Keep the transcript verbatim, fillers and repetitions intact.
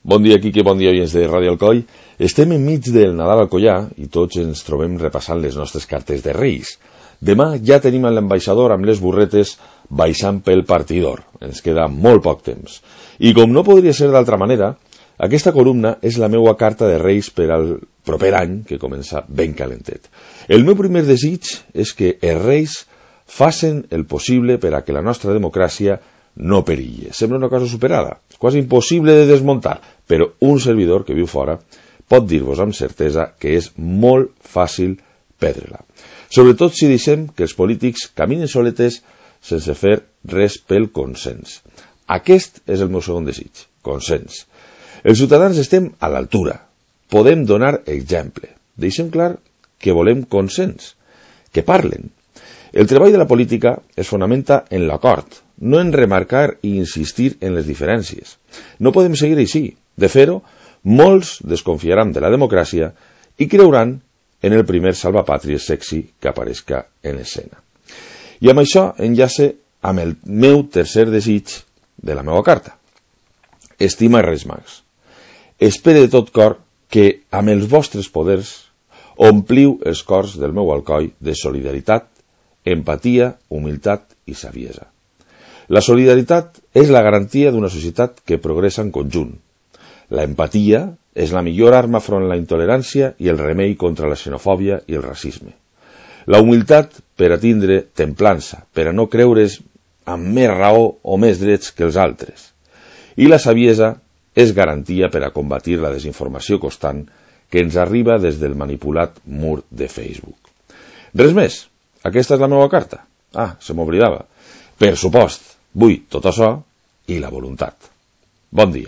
Bon dia, Quique, bon dia, oients de Ràdio Alcoi. Estem enmig del Nadal Alcoià i tots ens trobem repassant les nostres cartes de Reis. Demà ja tenim l'ambaixador amb les burretes baixant pel partidor. Ens queda molt poc temps. I com no podria ser d'altra manera, aquesta columna és la meua carta de Reis per al proper any, que comença ben calentet. El meu primer desig és que els Reis facin el possible per a que la nostra democràcia no perilli. Sembla una cosa superada, quasi impossible de desmuntar, però un servidor que viu fora pot dir-vos amb certesa que és molt fàcil perdre-la. Sobretot si deixem que els polítics caminen soletes sense fer res pel consens. Aquest és el meu segon desig, consens. Els ciutadans estem a l'altura. Podem donar exemple. Deixem clar que volem consens, que parlen. El treball de la política es fonamenta en l'acord, no en remarcar i insistir en les diferències. No podem seguir així. De fer-ho, molts desconfiaran de la democràcia i creuran en el primer salvapàtries sexy que aparezca en escena. I amb això enllace amb el meu tercer desig de la meva carta. Estima Reis Mags. Espere de tot cor que amb els vostres poders ompliu els cors del meu Alcoi de solidaritat, empatia, humilitat i saviesa. La solidaritat és la garantia d'una societat que progressa en conjunt. La empatia és la millor arma front a la intolerància i el remei contra la xenofòbia i el racisme. La humilitat per a tindre templança, per a no creure's amb més raó o més drets que els altres. I la saviesa és garantia per a combatir la desinformació constant que ens arriba des del manipulat mur de Facebook. Res més. Aquesta és la meva carta. Ah, se m'oblidava. Per supost, vull tot això i la voluntat. Bon dia.